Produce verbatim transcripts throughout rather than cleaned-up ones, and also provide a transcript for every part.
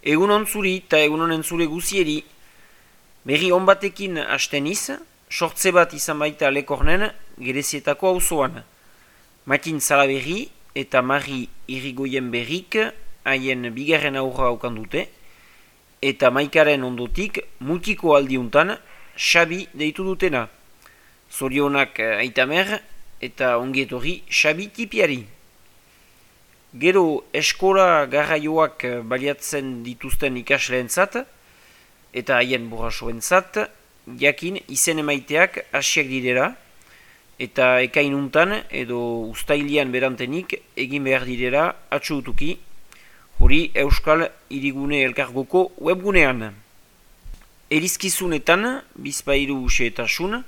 Egun on zuri eta egun honen zure guzieri, berri on batekin hasteniz, sortze bat izan baita Lekornen Gerezietako auzoan. Matin Zalaberri eta Mari Irigoyen berrik haien bigarren aurra haukan dute, eta Maikaren ondotik multiko aldiuntan Xabi deitu dutena. Zorionak Aitamer eta ongietorri Xabi tipiari. Gero eskola garraioak baliatzen dituzten ikasleentzat eta haien burrasoentzat jakin izen emaiteak hasiak direla eta ekainuntan edo uztailian berantenik egin behar direla atxutuki, hori Euskal Hirigune Elkargoko webgunean. Erizkizunetan bizpairu xehetasun,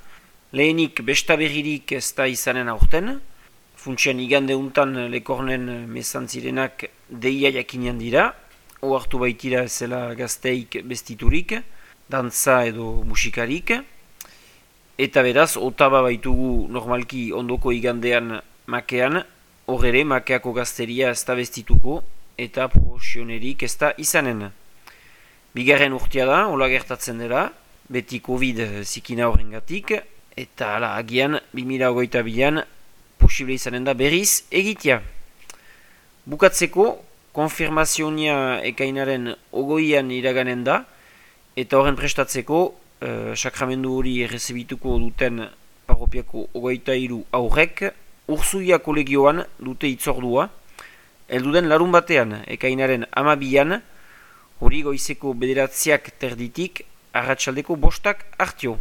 lehenik bestaberririk ez da izanen aurten, funtsian igande untan Lekornen mesantzirenak deia jakinean dira, ohartu baitira ezela gazteik bestiturik, dantza edo musikarik, eta beraz, otaba baitugu normalki ondoko igandean makean, hor ere makeako gazteria ez da bestituko, eta promosionerik ez da izanen. Bigarren urtea da, hola gertatzen dela, beti Covid zikina horrengatik, eta ala, agian, bi mila hogeita bian, posible izanen da berriz egitea. Bukatzeko, konfirmazionia ekainaren ogoian iraganen da, eta horren prestatzeko, eh, sakramendu hori errezibituko duten parropiako ogoita hiru aurrek, Urzuia kolegioan dute itzordua, helduden larun batean, ekainaren amabian, hori goizeko bederatziak terditik, arratsaldeko bostak hartio.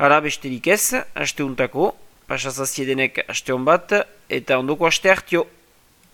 Hala besterik ez, asteuntako, pasazaziedenek aste hon bat, eta ondoko aste hartio.